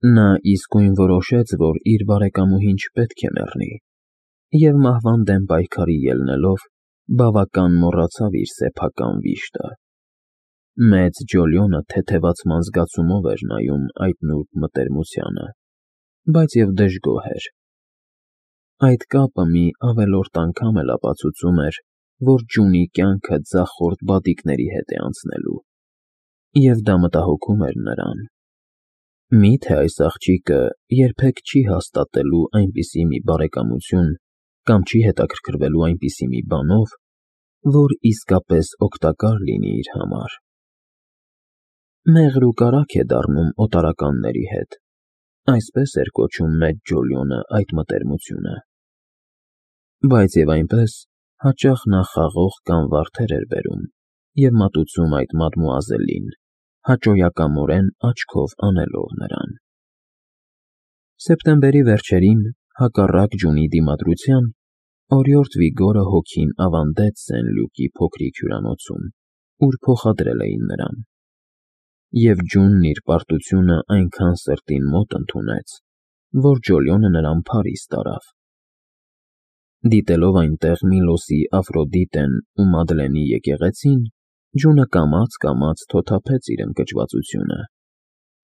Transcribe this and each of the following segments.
Նա իսկույն որոշեց, որ իր բարեկամուհին չպետք է մեռնի, և մահվան դեմ պայքարի ելնելով, բավական մոռացավ իր սեփական վիշտը։ Մեծ Ջոլիոնը թեթևացման զգացումով էր նայում այդ նուրբ մտերմությանը, բայց և դժգոհ էր։ Այդ կապը մի ավելորդ անգամ էլ ապացուցում էր, որ Ջունի կյանքը ձախորդ բադիկների հետ է անցնելու, և դա մտահոգում էր նրան։ Մի՞թե այս աղջիկը երբեք չի հաստատելու այնպիսի մի բարեկամություն կամ չի հետաքրքրվելու այնպիսի մի բանով, որ իսկապես օգտակար լինի իր համար։ «Մեղր ու կարագ է դառնում օտարականների հետ», այսպես էր կոչում մեծ Ջոլիոնը այդ մտերմությունը։ Բայց և այնպես, հաճախ նա խաղող կամ վարդեր էր բերում և մատուցում այդ մադմուազելին, հաճոյակամորեն աչքով անելով նրան։ Սեպտեմբերի վերջերին, հակառակ Ջունի դիմադրության, օրիորդ Վիգորը հոգին ավանդեց Սեն֊Լյուկի փոքրիկ հյուրանոցում, ուր փոխադրել էին նրան, և Ջունն իր պարտությունը այնքան սրտին մոտ ընդունեց, որ Ջոլիոնը նրան Փարիզ տարավ։ Դիտելով այնտեղ Միլոսի Աֆրոդիտեն ու Մադլենի եկեղեցին, Ջունը կամաց թոթափեց իր ընկճվածությունը,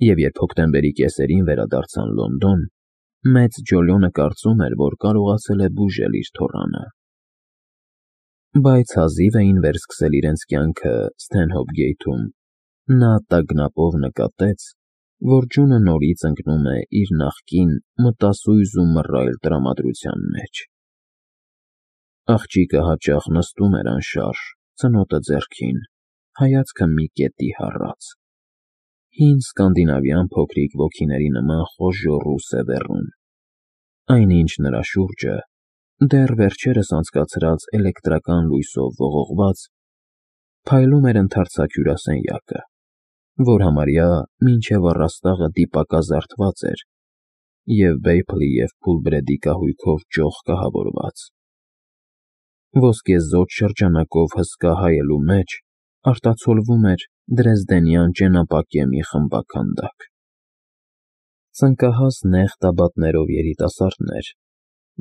և երբ հոկտեմբերի կեսերին վերադարձան Լոնդոն, մեծ Ջոլիոնը կարծում էր, որ կարողացել է բուժել իր թոռանը։ Բայց հազիվ էին վերսկսել իրենց կյանքը Սթենհոփ Գեյթում, նա տագնապով նկատեց, որ Ջունը նորից ընկնում է իր նախկին մտասույզ ու մռայլ տրամադրության մեջ։ Աղջիկը հաճախ նստում էր անշարժ, ծնոտը ձեռքին, հայացքը մի կետի հառած, հին սկանդինավյան փոքրիկ ոգիների նման խոժոռ ու սևեռուն։ Այնինչ նրա շուրջը, դեռ վերջերս անցկացրած էլեկտրական լույսով ողողված, փայլում էր ընդարձակ հյուրասենյակը, որ համարյա մինչև առաստաղը դիպակազարդված էր և Բեյփլի և Փուլբրեդի կահույքով ճոխ կահավորված։ Ոսկեզօծ շրջանակով հսկա հայելու մեջ արտացոլվում էր դրեզդենյան ճենապակյա մի խմբաքանդակ։ Ցնկահաս նեղ տաբատներով երիտասարդներ,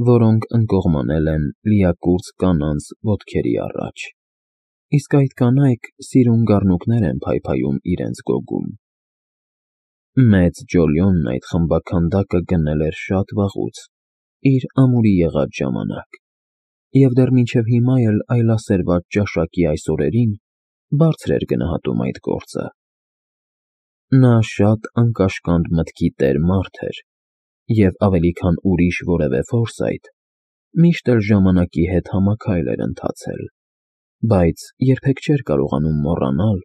որոնք ընկողմանել են լիակուրծք կանանց ոտքերի առաջ, իսկ այդ կանայք սիրուն գառնուկներ են փայփայում իրենց գոգում։ Մեծ Ջոլիոնն այդ խմբաքանդակը գնել էր շատ վաղուց, իր ամուրի եղած ժամանակ, և դեռ մինչև հիմա էլ այլասերված ճաշակի այս օրերին բարձր էր գնահատում այդ գործը։ Նա շատ անկաշկանդ մտքի տեր մարդ էր և, ավելի քան ուրիշ որևէ ֆորսայթ, միշտ էլ ժամանակի հետ համաքայլ էր ընթացել, բայց երբեք չէր կարողանում մոռանալ,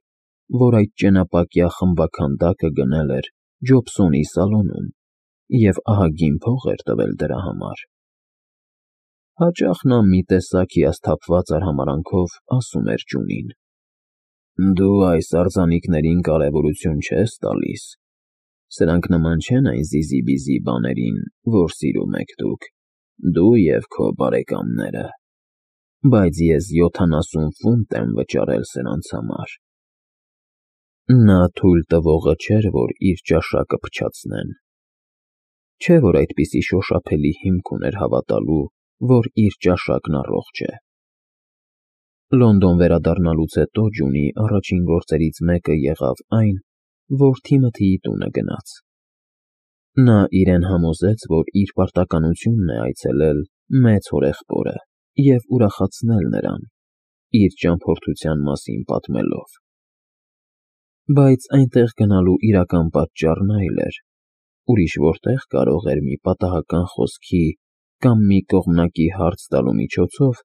որ այդ ճենապակյա խմբաքանդակը գնել էր Ջոբսոնի սալոնում և ահագին փող էր տվել դրա համար։ Հաճախ նա մի տեսակ հիասթափված արհամարհանքով ասում էր Ջունին. «Դու այս արձանիկներին կարևորություն չես տալիս, սրանք նման չեն այն զիզի-բիզի բաներին, որ սիրում եք դու և քո բարեկամները, բայց ես 70 ֆունտ եմ վճարել սրանց համար»։ Նա թույլ տվողը չէր, որ իր ճաշակը փչացնեն։ Չէ՞ որ այդպիսի շոշափելի հիմք ուներ հավատալու, որ իր ճաշակն առողջ է։ Լոնդոն վերադառնալուց հետո Ջունի առաջին գործերից մեկը եղավ այն, որ Թիմոթիի տունը գնաց։ Նա իրեն համոզեց, որ իր պարտականությունն է այցելել մեծ հորեղբորը և ուրախացնել նրան, իր ճամփորդության մասին պատմելով։ Բայց այնտեղ գնալու իրական պատճառն այլ էր, ուրիշ որտեղ կարող էր մի պատահական խոսքի կամ մի կողմնակի հարց տալու միջոցով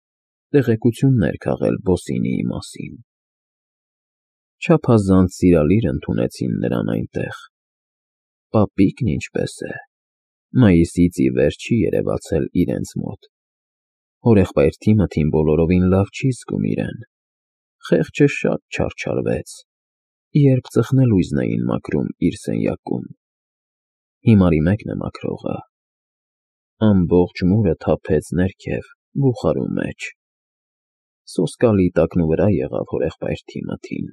տեղեկություններ քաղել Բոսինիի մասին։ Չափազանց սիրալիր ընդունեցին նրան այնտեղ։ Պապիկն ինչպե՞ս է։ Մայիսից ի վեր չի երևացել իրենց մոտ։ Հորեղբայր Թիմոթին բոլորովին լավ չի զգում իրեն։ Խեղճը շատ չարչարվեց, երբ ծխնելույզն էին մաքրում իր սենյակում։ Հիմարի մեկն է մաքրողը։ Ամբողջ մուրը թափեց ներքև, բուխարու մեջ։ Սոսկալի տակնուվրա եղավ հորեղբայր Թիմոթին։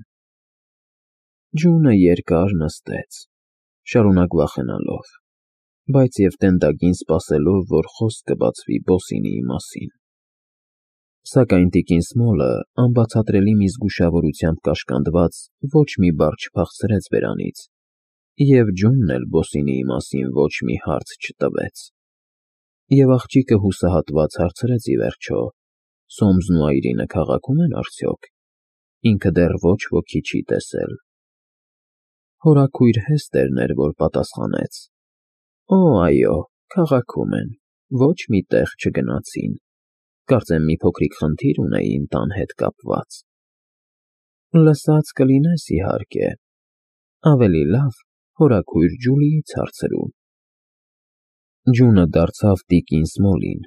Ջունը երկար նստեց, շարունակ վախենալով, բայց և տենդագին սպասելով, որ խոսք կբացվի Բոսինիի մասին։ Սակայն տիկին Սմոլը անբացատրելի մի զգուշավորությամբ կաշկանդված ոչ մի բառ չփախցրեց բերանից, և Ջոնն էլ Բոսինիի մասին ոչ մի հարց չտվեց։ Եվ աղջիկը հուսահատված հարցրեց ի վերջո. Սոմսն ու Այրինը քաղաքում են արդյոք։ Ինքը դեռ ոչ ոքի չի տեսել։ Հորաքույր Հեստերն էր, որ պատասխանեց. Օ, այո, քաղաքում են, ոչ մի տեղ չգնացին։ Կարծեմ մի փոքրիկ խնդիր ունեին տան հետ կապված։ Լսած կլինես, իհարկե։ Ավելի լավ հորաքույր Ջուլիից հարցրու։ Ջունը դարձավ տիկին Սմոլին,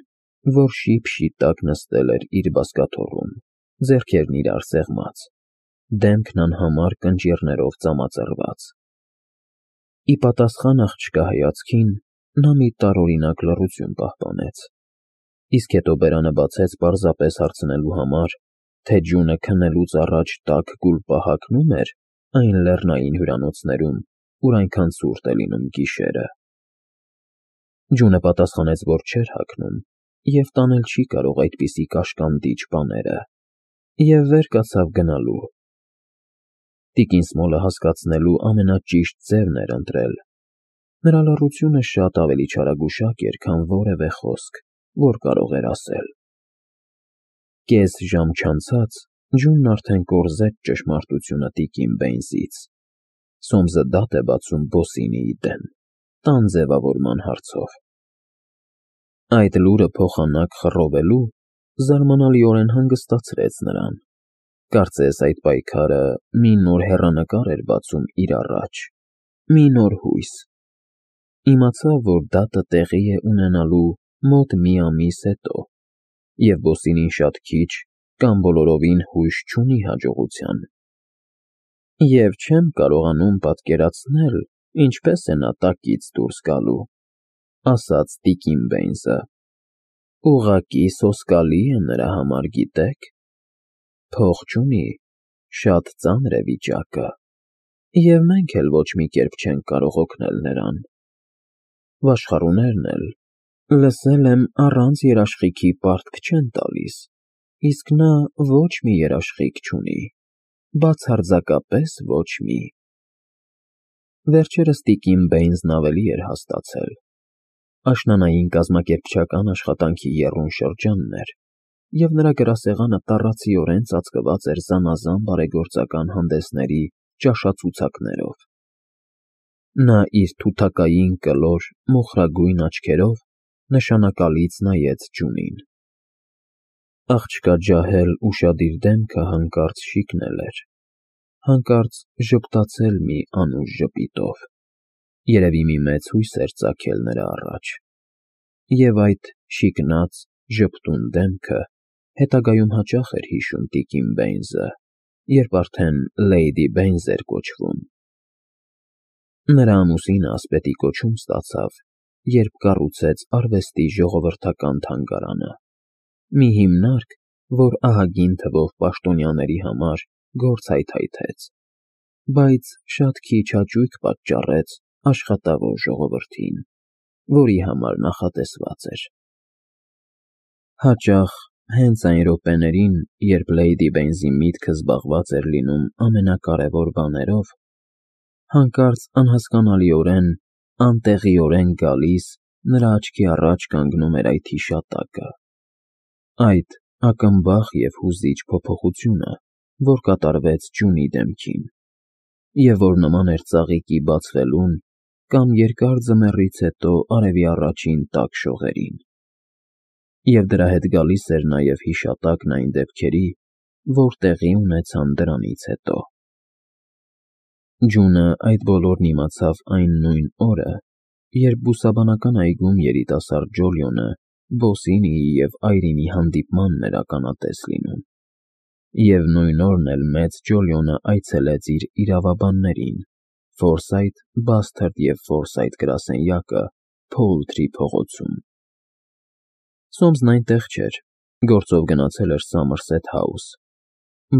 որ շիփ-շիփ տակ նստել էր իր բազկաթոռում, ձեռքերն իրար սեղմած, դեմքն անհամար կնճիռներով ծամածռված։ Ի պատասխան աղջկա հայացքին նա մի տարօրինակ լռություն պահպանեց, իսկ հետո բերանը բացեց պարզապես հարցնելու համար, թե Ջունը քննելուց առաջ տաք գուլպա հագնո՞ւմ էր այն լեռնային հյուրանոցներում, ուր այնքան ցուրտ է լինում գիշերը։ Ջունը պատասխանեց, որ չէր հագնում և տանել չի կարող այդպիսի կաշկանդիչ բաները, և վեր կացավ գնալու։ Տիկին Սմոլը հասկացնելու ամենաճիշտ ձևն էր ընտրել։ Նրա լռությունը շատ ավելի չարագուշակ էր, քան որևէ խոսք, որ կարող էր ասել։ Կես ժամ չանցած Ջունն արդեն կորզեց ճշմարտությունը տիկին Բեյնսից։ Սոմսը դատ է բացում Բոսինիի դեմ, տան ձևավորման հարցով։ Այդ լուրը փոխանակ խռովելու զարմանալիորեն հանգստացրեց նրան։ Կարծես այդ պայքարը մի նոր հեռանկար էր բացում իր առաջ, մի նոր հույս։ Իմացավ, որ դատը տեղի է ունենալու մոտ մի ամիս հետո, և Բոսինին շատ քիչ կամ բոլորովին հույս չունի հաջողության։ Եվ չեմ կարողանում պատկերացնել, ինչպես է նա տակից դուրս գալու, ասաց տիկին Բեյնսը։ Ուղղակի սոսկալի է նրա համար, գիտեք։ Փող չունի, շատ ծանր է վիճակը, և մենք էլ ոչ մի կերպ չենք կարող օգնել նրան։ Վաշխառուներն էլ, լսել եմ, առանց երաշխիքի պարտք չեն տալիս, իսկ նա ոչ մի երաշխիք չունի, բացարձակապես ոչ մի։ Վերջերս տիկին Բեյնսն ավելի էր հաստացել։ Աշնանային կազմակերպչական աշխատանքի եռուն շրջանն էր, և նրա գրասեղանը տառացիորեն ծածկված էր զանազան բարեգործական հանդեսների ճաշացուցակներով։ Նա իր թութակային կլոր մոխրագույն աչքերով նշանակալից նայեց Ջունին։ Աղջկա ջահել ուշադիր դեմքը հանկարծ շիկնել էր, հանկարծ ժպտացել մի անուշ ժպիտով, երևի մի մեծ հույս էր ծագել նրա առաջ, և այդ շիկնած, ժպտուն դեմքը հետագայում հաճախ էր հիշում տիկին Բեյնսը, երբ արդեն Լեյդի Բեյնս էր կոչվում։ Նրա ամուսինը ասպետի կոչում ստացավ, երբ կառուցեց արվեստի ժողովրդական թանգարանը, մի հիմնարկ, որ ահագին թվով պաշտոնյաների համար գործ հայթայթեց, բայց շատ քիչ հաճույք պատճառեց աշխատավոր ժողովրդին, որի համար նախատեսված էր։ Հաճախ հենց այն րոպեներին, երբ Լեյդի Բեյնսի միտքը զբաղված էր լինում ամենակարևոր բաներով, հանկարծ անհասկանալիորեն, անտեղիորեն գալիս նրա աչքի առաջ կանգնում էր այդ հիշատակը, այդ ակնբախ և հուզիչ փոփոխությունը, որ կատարվեց Ջունի դեմքին, և որ նման էր ծաղիկի բացվելուն կամ երկար ձմեռից հետո արևի առաջին տաք շողերին։ Եվ դրա հետ գալիս էր նաև հիշատակն այն դեպքերի, որ տեղի ունեցան դրանից հետո։ Ջունը այդ բոլորն իմացավ այն նույն օրը, երբ բուսաբանական այգում երիտասարդ Ջոլիոնը Բոսինիի և Այրինի հանդիպմանն էր ականատես լինում, և նույն օրն էլ մեծ Ջոլիոնը այցելեց իր իրավաբաններին՝ Ֆորսայթ, Բասթարդ և Ֆորսայթ գրասենյակը Փոուլթրի փողոցում։ Սոմսն այնտեղ չէր, գործով գնացել էր Սամերսեթ Հաուս։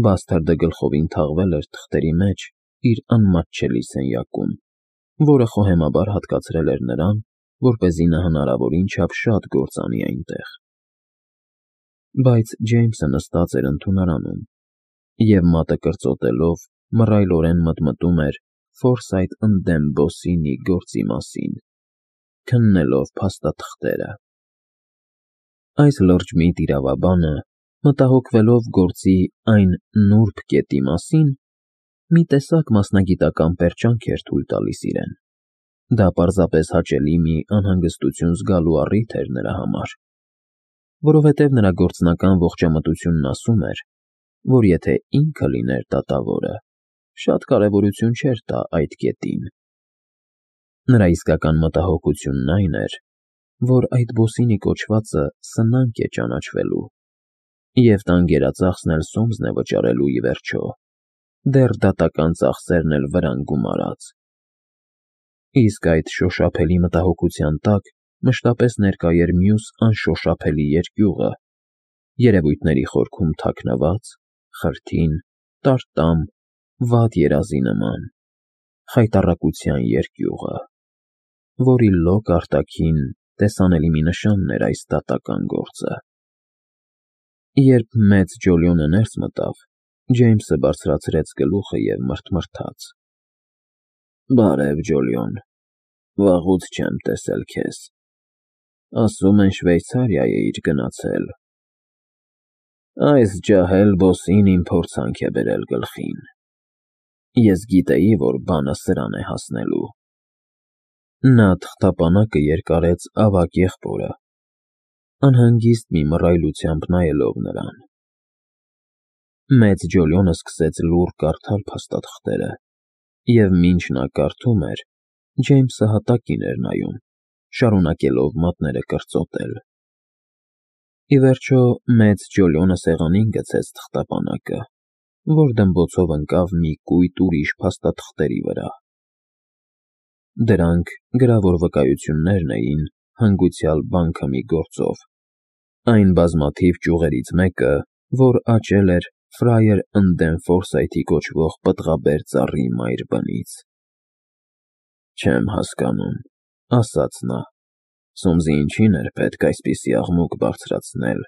Բասթարդը գլխովին թաղվել էր թղթերի մեջ իր անմատչելի սենյակում, որը խոհեմաբար հատկացրել էր նրան, որպեսզի նա հնարավորին չափ շատ գործ անի այնտեղ։ Բայց Ջեյմսը նստած էր ընդունարանում և մատը կրծոտելով մռայլորեն մտմտում էր Ֆորսայթ ընդդեմ Բոսինի գործի մասին, քննելով փաստաթղթերը։ Այս լրջմիտ իրավաբանը, մտահոգվելով գործի այն նուրբ կետի մասին, մի տեսակ մասնագիտական պերճանք էր թույլ տալիս իրեն։ Դա պարզապես հաճելի մի անհանգստություն զգալու առիթ էր նրա համար, որովհետև նրա գործնական ողջամտությունն ասում էր, որ եթե ինքը լիներ դատավորը, շատ կարևորություն չէր տա այդ կետին։ Նրա իսկական մտահոգությունն այն էր, որ այդ Բոսինի կոչվածը սնանկ է ճանաչվելու, և տան գերածախսն էլ սոմզն է վճարելու ի վերջո, դեռ դատական ծախսերն էլ վրան գումարած։ Իսկ այդ շոշափելի մտահոգության տակ մշտապես ներկա էր մյուս անշոշափելի երկյուղը, երևույթների խորքում թաքնված, խրթին, տարտամ, վատ երազի նման, խայտառակության երկյուղը, որի լոկ արտաքին տեսանելի մի նշանն էր այս դատական գործը։ Երբ մեծ Ջոլիոնը ներս մտավ, Ջեյմսը բարձրացրեց գլուխը և մռթմռթաց. «Բարև, Ջոլիոն, վաղուց չեմ տեսել քեզ։ Ասում են Շվեյցարիա էիր գնացել։ Այս ջահել Բոսին իմ փորձանք է բերել գլխին։ Ես գիտեի, որ բանը սրան է հասնելու»։ Նա թղթապանակը երկարեց ավագ եղբորը, անհանգիստ մի մռայլությամբ նայելով նրան։ Մեծ Ջոլիոնը սկսեց լուռ կարդալ փաստաթղթերը, և մինչ նա կարդում էր, Ջեյմսը հատակին էր նայում, շարունակելով մատները կրծոտել։ Ի վերջո մեծ Ջոլիոնը սեղանին գցեց թղթապանակը, որ դմբոցով ընկավ մի կույտ ուրիշ փաստաթղթերի վրա։ Դրանք գրավոր վկայություններն էին հանգուցյալ բանքը մի գործով, այն բազմաթիվ ճյուղերից մեկը, որ աճել էր Ֆրայեր ընդդեմ Ֆորսայթի կոչվող պտղաբեր ծառի մայր բնից։ «Չեմ հասկանում», ասաց նա, «Սոմսի ինչին էր պետք այսպիսի աղմուկ բարձրացնել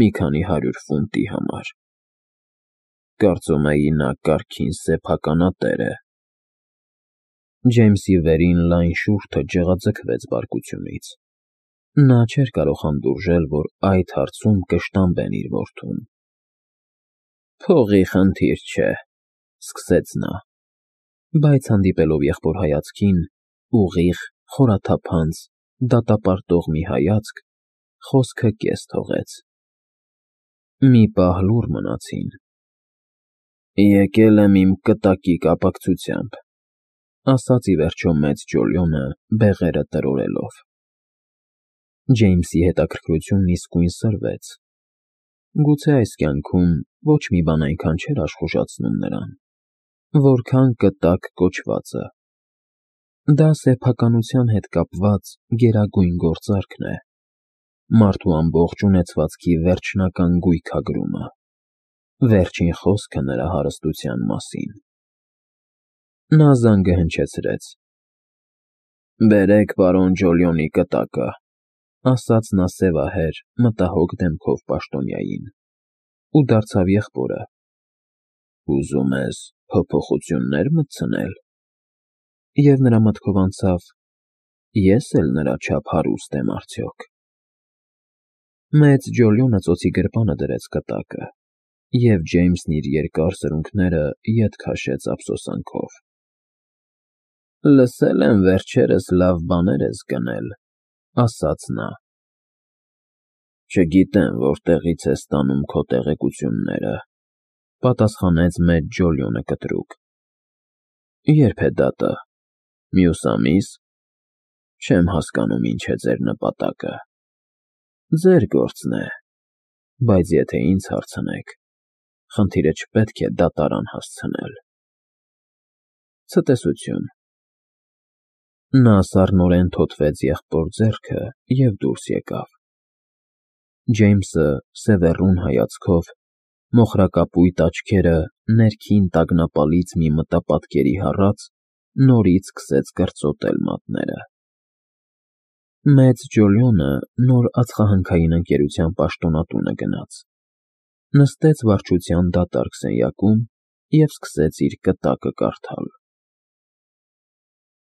մի քանի 100 ֆունտի համար։ Կարծում էի նա կարգին սեփականատեր է»։ Ջեյմսի վերին լայն շուրթը ջղաձգվեց բարկությունից։ Նա չէր կարող հանդուրժել, որ այդ հարցում կշտամբեն իր որդուն։ «Փողի խնդիր չէ», սկսեց նա, բայց հանդիպելով եղբոր հայացքին, ուղիղ, խորաթափանց, դատապարտող մի հայացք, խոսքը կես թողեց։ Մի պահ լուռ մնացին։ «Եկել եմ իմ կտակի կապակցությամբ», ասաց ի վերջո մեծ Ջոլիոնը բեղերը տրորելով։ Ջեյմսի հետաքրքրությունն իսկույն սրվեց։ Գուցե այս կյանքում ոչ մի բան այնքան չէր աշխուժացնում նրան, որքան կտակ կոչվածը։ Դա սեփականության հետ կապված գերագույն գործարքն է, մարդու ամբողջ ունեցվածքի վերջնական գույքագրումը, վերջին խոսքը նրա հարստության մասին։ Նա զանգը հնչեցրեց։ «Բերեք պարոն Ջոլիոնի կտակը», ասաց նա սևահեր, մտահոգ դեմքով պաշտոնյային, ու դարձավ եղբորը։ «Ուզում ես փոփոխություններ մտցնել»։ Եվ նրա մտքով անցավ. «Ես էլ նրա չափ հարուստ եմ արդյոք»։ Մեծ Ջոլիոնը ծոցի գրպանը դրեց կտակը, և Ջեյմսն իր երկար սրունքները ետ քաշեց ափսոսանքով։ «Լսել եմ վերջերս լավ բաներ ես գնել», ասաց նա։ «Չգիտեմ որտեղից ես ստանում քո տեղեկությունները», պատասխանեց մեծ Ջոլիոնը կտրուկ։ «Ե՞րբ է դատը։ Մյուս ամի՞ս։ Չեմ հասկանում ինչ է ձեր նպատակը։ Ձեր գործն է, բայց եթե ինձ հարցնեք, խնդիրը չպետք է դատարան հասցնել»։ Ցտեսություն։ Նա սառնորեն թոթվեց եղբոր ձեռքը և դուրս եկավ։ Ջեյմսը սևեռուն հայացքով, մոխրակապույտ աչքերը ներքին տագնապալից մի մտապատկերի հառած, նորից սկսեց կրծոտել մատները։ Մեծ Ջոլյոնը նոր ածխահնքային ընկերության պաշտոնատունը գնաց, նստեց վարչության դատարկ սենյակում և սկսեց իր կտակը կարդալ։